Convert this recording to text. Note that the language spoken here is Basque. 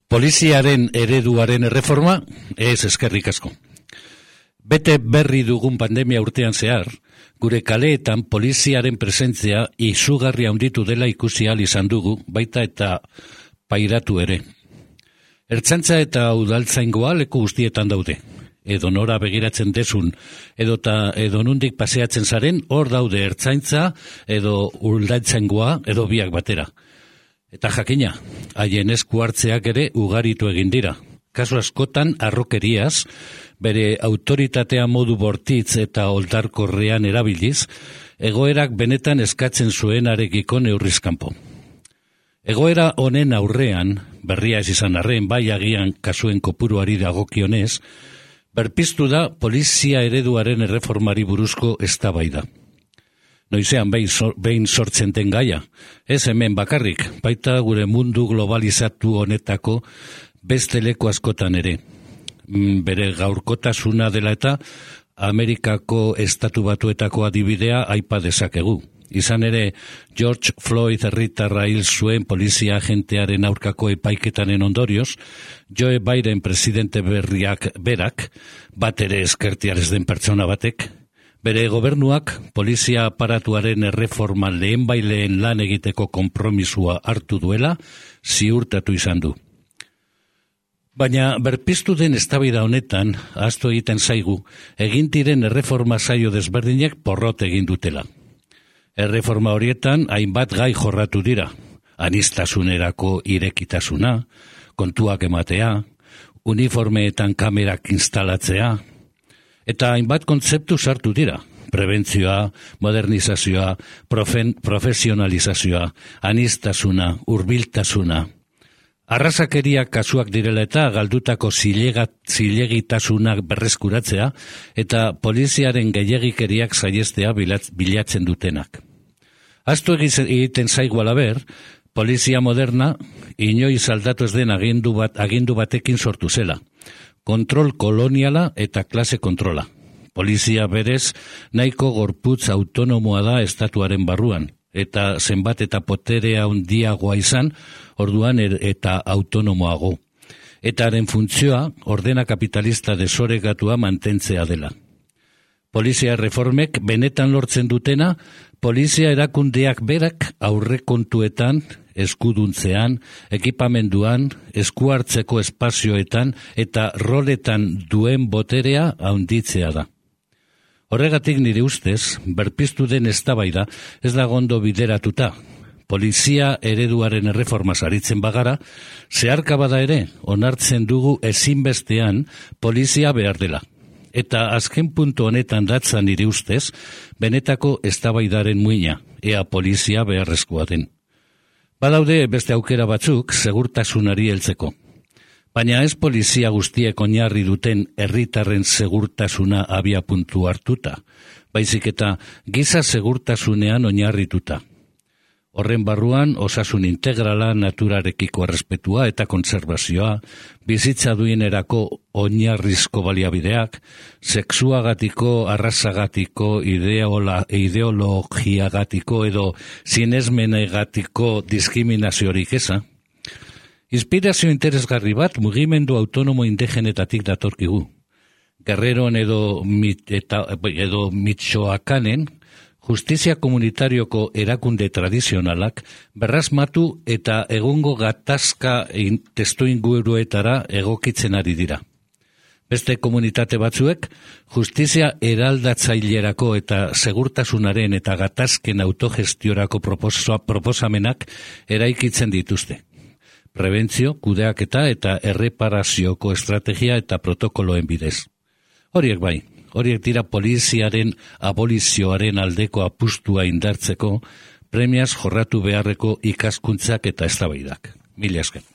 Poliziaren ereduaren erreforma, ez eskerrik asko. Bete berri dugun pandemia urtean zehar, gure kaleetan poliziaren presentzia izugarri handitu dela ikusi ahal izan dugu, baita eta pairatu ere. Ertzaintza eta udaltzaingoa leku guztietan daude. Edo nora begiratzen desun, edo nundik paseatzen zaren, hor daude ertzaintza, edo udaltzaingoa, edo biak batera. Eta jakina, haien esku hartzeak ere ugaritu egin dira. Kasu askotan harrokeriaz, bere autoritatea modu bortitz eta oldarkorrean erabiliz, egoerak benetan eskatzen zuenarekiko neurrizkanpo. Egoera honen aurrean, berria ez izan arren, bai agian kasuen kopuruari dagokionez, berpiztu da polizia ereduaren erreformari buruzko eztabaida. Noizean behin sortzen den gaia, ez hemen bakarrik, baita gure mundu globalizatu honetako beste leku askotan ere. Bere gaurkotasuna dela eta Amerikako estatu batuetako adibidea aipa dezakegu. Izan ere, George Floyd herritarra hil zuen polizia agentearen aurkako epaiketanen ondorioz, Joe Biden presidente berriak berak, bat ere eskertiarez den pertsona batek, bere gobernuak polizia aparatuaren erreforma lehenbaileen lan egiteko konpromisua hartu duela ziurtatu izan du. Baina berpiztu den eztabaida honetan, ahaztu egiten zaigu, egin diren erreforma saio desberdinek porrot egin dutela. Erreforma horietan hainbat gai jorratu dira, aniztasunerako irekitasuna, kontuak ematea, uniformeetan kamerak instalatzea, eta hainbat kontzeptu sartu dira, prebentzioa, modernizazioa, profesionalizazioa, aniztasuna, hurbiltasuna. Arrazakeria kasuak direla eta galdutako zilegitasunak berreskuratzea eta poliziaren gehiagikeriak saihestea bilatzen dutenak. Ahaztu egiten zaigu alaber, polizia moderna inoiz aldatu ez den agindu batekin sortu zela. Kontrol koloniala eta klase kontrola. Polizia berez nahiko gorputz autonomoa da estatuaren barruan, eta zenbat eta poterea handiagoa izan, orduan eta autonomoago. Eta haren funtzioa ordena kapitalista desoregatua mantentzea dela. Polizia reformek benetan lortzen dutena, polizia erakundeak berak aurrekontuetan, eskuduntzean, ekipamenduan, eskuhartzeko espazioetan eta roletan duen boterea handitzea da. Horregatik nire ustez, berpiztu den eztabaida ez da ondo bideratuta. Polizia ereduaren erreformaz aritzen bagara, zeharka bada ere, onartzen dugu ezinbestean polizia behar dela. Eta azken puntu honetan datza nire ustez, benetako eztabaidaren muina, ea polizia beharrezkoa den. Badaude beste aukera batzuk segurtasunari heltzeko. Baina ez polizia guztiek oinarri duten herritarren segurtasuna abiapuntu hartuta, baizik eta giza segurtasunean oinarrituta. Horren barruan osasun integrala, naturarekiko errespetua eta kontserbazioa, bizitza duinerako oinarrizko baliabideak, sexuagatiko, arrazagatiko, ideologiagatiko edo sinesmenegatiko diskriminaziorik eza. Inspirazio interesgarri bat mugimendu autonomo indigenetatik datorkigu. Guerreron edo Mitxoakanen, justizia komunitarioko erakunde tradizionalak berrasmatu eta egungo gatazka testuinguruetara egokitzen ari dira. Beste komunitate batzuek, justizia eraldatzailerako eta segurtasunaren eta gatazken autogestiorako proposamenak eraikitzen dituzte. Prebentzio, kudeaketa eta erreparazioko estrategia eta protokoloen bidez. Horiek dira poliziaren abolizioaren aldeko apustua indartzeko premiaz jorratu beharreko ikaskuntzak eta eztabaidak. Mila esker.